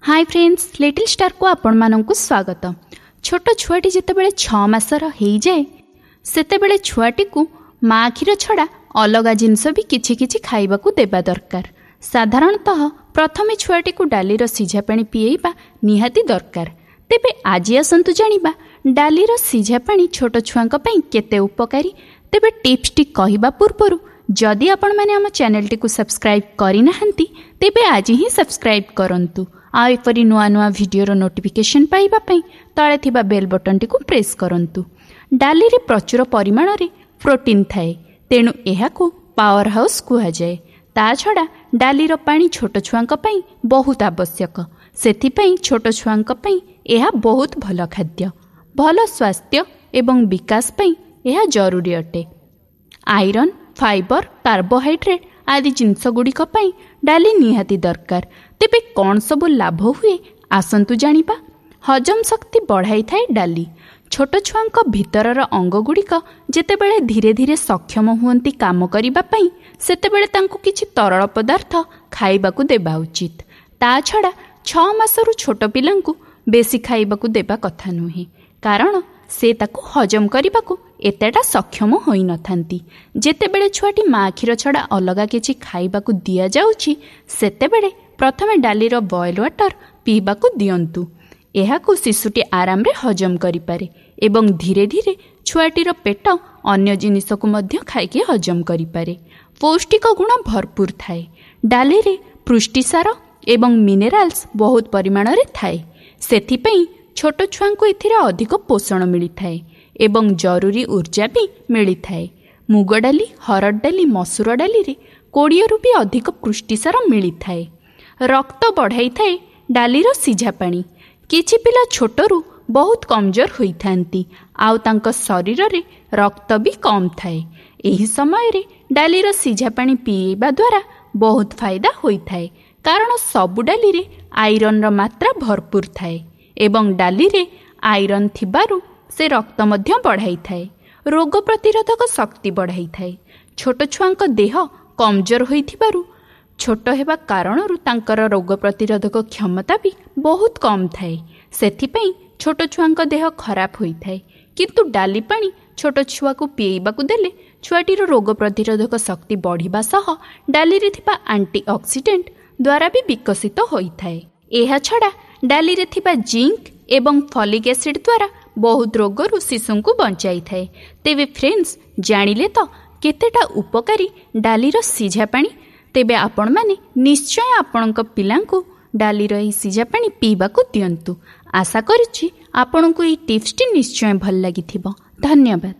High friends, little ଷ୍ଟାରକୁ ଆପଣମାନଙ୍କୁ ସ୍ୱାଗତ। ଛୋଟ ଛୁଆଟି ଯେତେବେଳେ 6 ମାସର ହେଇଯାଏ, ସେତେବେଳେ ଛୁଆଟିକୁ ମା କ୍ଷୀର ଛଡ଼ା ଅଲଗା ଜିନିଷ ବି କିଛି କିଛି ଖାଇବାକୁ ଦେବା ଦରକାର। ସାଧାରଣତଃ ପ୍ରଥମେ ଛୁଆଟିକୁ ଡାଲିର ସିଝା ପାଣି ପିଏଇବା ନିହାତି ଦରକାର। ତେବେ ଆଜି ଆସନ୍ତୁ ଜାଣିବା ଡାଲିର ସିଝା ପାଣି ଛୋଟ ଛୁଆଙ୍କ ପାଇଁ କେତେ ଉପକାରୀ। ତେବେ ଟିପ୍ସଟି କହିବା ପୂର୍ବରୁ ଯଦି ଆପଣମାନେ ଆମ ଚ୍ୟାନେଲଟିକୁ ସବସ୍କ୍ରାଇବ୍ କରିନାହାନ୍ତି, ତେବେ ଆଜି ହିଁ ସବସ୍କ୍ରାଇବ୍ କରନ୍ତୁ। ଆଉ ଏପରି ନୂଆ ନୂଆ ଭିଡ଼ିଓର ନୋଟିଫିକେସନ୍ ପାଇବା ପାଇଁ ତଳେ ଥିବା ବେଲ୍ ବଟନ୍ଟିକୁ ପ୍ରେସ୍ କରନ୍ତୁ। ଡାଲିରେ ପ୍ରଚୁର ପରିମାଣରେ ପ୍ରୋଟିନ୍ ଥାଏ, ତେଣୁ ଏହାକୁ ପାୱାର ହାଉସ୍ କୁହାଯାଏ। ତା ଛଡ଼ା ଡାଲିର ପାଣି ଛୋଟ ଛୁଆଙ୍କ ପାଇଁ ବହୁତ ଆବଶ୍ୟକ। ସେଥିପାଇଁ ଛୋଟ ଛୁଆଙ୍କ ପାଇଁ ଏହା ବହୁତ ଭଲ ଖାଦ୍ୟ। ଭଲ ସ୍ୱାସ୍ଥ୍ୟ ଏବଂ ବିକାଶ ପାଇଁ ଏହା ଜରୁରୀ ଅଟେ। ଆଇରନ୍, ଫାଇବର, କାର୍ବୋହାଇଡ୍ରେଟ୍ ଆଦି ଜିନିଷଗୁଡ଼ିକ ପାଇଁ ଡାଲି ନିହାତି ଦରକାର। ତେବେ କ'ଣ ସବୁ ଲାଭ ହୁଏ, ଆସନ୍ତୁ ଜାଣିବା। ହଜମ ଶକ୍ତି ବଢ଼ାଇଥାଏ ଡାଲି। ଛୋଟ ଛୁଆଙ୍କ ଭିତରର ଅଙ୍ଗଗୁଡ଼ିକ ଯେତେବେଳେ ଧୀରେ ଧୀରେ ସକ୍ଷମ ହୁଅନ୍ତି କାମ କରିବା ପାଇଁ, ସେତେବେଳେ ତାଙ୍କୁ କିଛି ତରଳ ପଦାର୍ଥ ଖାଇବାକୁ ଦେବା ଉଚିତ। ତା ଛଡ଼ା 6 ମାସରୁ ଛୋଟ ପିଲାଙ୍କୁ ବେଶୀ ଖାଇବାକୁ ଦେବା କଥା ନୁହେଁ, କାରଣ ସେ ତାକୁ ହଜମ କରିବାକୁ ଏତେଟା ସକ୍ଷମ ହୋଇନଥାନ୍ତି। ଯେତେବେଳେ ଛୁଆଟି ମା କ୍ଷୀର ଛଡ଼ା ଅଲଗା କିଛି ଖାଇବାକୁ ଦିଆଯାଉଛି, ସେତେବେଳେ ପ୍ରଥମେ ଡାଲିର ବଏଲ୍ ୱାଟର ପିଇବାକୁ ଦିଅନ୍ତୁ। ଏହାକୁ ଶିଶୁଟି ଆରାମରେ ହଜମ କରିପାରେ ଏବଂ ଧୀରେ ଧୀରେ ଛୁଆଟିର ପେଟ ଅନ୍ୟ ଜିନିଷକୁ ମଧ୍ୟ ଖାଇକି ହଜମ କରିପାରେ। ପୌଷ୍ଟିକ ଗୁଣ ଭରପୁର ଥାଏ। ଡାଲିରେ ପୃଷ୍ଟିସାର ଏବଂ ମିନେରାଲ୍ସ ବହୁତ ପରିମାଣରେ ଥାଏ। ସେଥିପାଇଁ ଛୋଟ ଛୁଆଙ୍କୁ ଏଥିରେ ଅଧିକ ପୋଷଣ ମିଳିଥାଏ ଏବଂ ଜରୁରୀ ଉର୍ଜା ବି ମିଳିଥାଏ। ମୁଗ ଡାଲି, ହରଡ଼ ଡାଲି, ମସୁର ଡାଲିରେ 20ରୁ ବି ଅଧିକ ପୃଷ୍ଟିସାର ମିଳିଥାଏ। ରକ୍ତ ବଢ଼ାଇଥାଏ ଡାଲିର ସିଝା ପାଣି। କିଛି ପିଲା ଛୋଟରୁ ବହୁତ କମଜୋର ହୋଇଥାନ୍ତି, ଆଉ ତାଙ୍କ ଶରୀରରେ ରକ୍ତ ବି କମ୍ ଥାଏ। ଏହି ସମୟରେ ଡାଲିର ସିଝା ପାଣି ପିଇବା ଦ୍ୱାରା ବହୁତ ଫାଇଦା ହୋଇଥାଏ, କାରଣ ସବୁ ଡାଲିରେ ଆଇରନ୍ର ମାତ୍ରା ଭରପୁର ଥାଏ ଏବଂ ଡାଲିରେ ଆଇରନ୍ ଥିବାରୁ ସେ ରକ୍ତ ମଧ୍ୟ ବଢ଼ାଇଥାଏ। ରୋଗ ପ୍ରତିରୋଧକ ଶକ୍ତି ବଢ଼ାଇଥାଏ। ଛୋଟ ଛୁଆଙ୍କ ଦେହ କମଜୋର ହୋଇଥିବାରୁ, ଛୋଟ ହେବା କାରଣରୁ ତାଙ୍କର ରୋଗ ପ୍ରତିରୋଧକ କ୍ଷମତା ବି ବହୁତ କମ୍ ଥାଏ। ସେଥିପାଇଁ ଛୋଟ ଛୁଆଙ୍କ ଦେହ ଖରାପ ହୋଇଥାଏ। କିନ୍ତୁ ଡାଲି ପାଣି ଛୋଟ ଛୁଆକୁ ପିଇବାକୁ ଦେଲେ ଛୁଆଟିର ରୋଗ ପ୍ରତିରୋଧକ ଶକ୍ତି ବଢ଼ିବା ସହ ଡାଲିରେ ଥିବା ଆଣ୍ଟି ଅକ୍ସିଡେଣ୍ଟ ଦ୍ୱାରା ବି ବିକଶିତ ହୋଇଥାଏ। ଏହାଛଡ଼ା ଡାଲିରେ ଥିବା ଜିଙ୍କ ଏବଂ ଫଲିକ୍ ଏସିଡ୍ ଦ୍ୱାରା ବହୁତ ରୋଗରୁ ଶିଶୁଙ୍କୁ ବଞ୍ଚାଇଥାଏ। ତେବେ ଫ୍ରେଣ୍ଡସ୍, ଜାଣିଲେ ତ କେତେଟା ଉପକାରୀ ଡାଲିର ସିଝା ପାଣି? ତେବେ ଆପଣମାନେ ନିଶ୍ଚୟ ଆପଣଙ୍କ ପିଲାଙ୍କୁ ଡାଲିର ଏହି ସିଝା ପାଣି ପିଇବାକୁ ଦିଅନ୍ତୁ। ଆଶା କରୁଛି ଆପଣଙ୍କୁ ଏହି ଟିପ୍ସଟି ନିଶ୍ଚୟ ଭଲ ଲାଗିଥିବ। ଧନ୍ୟବାଦ।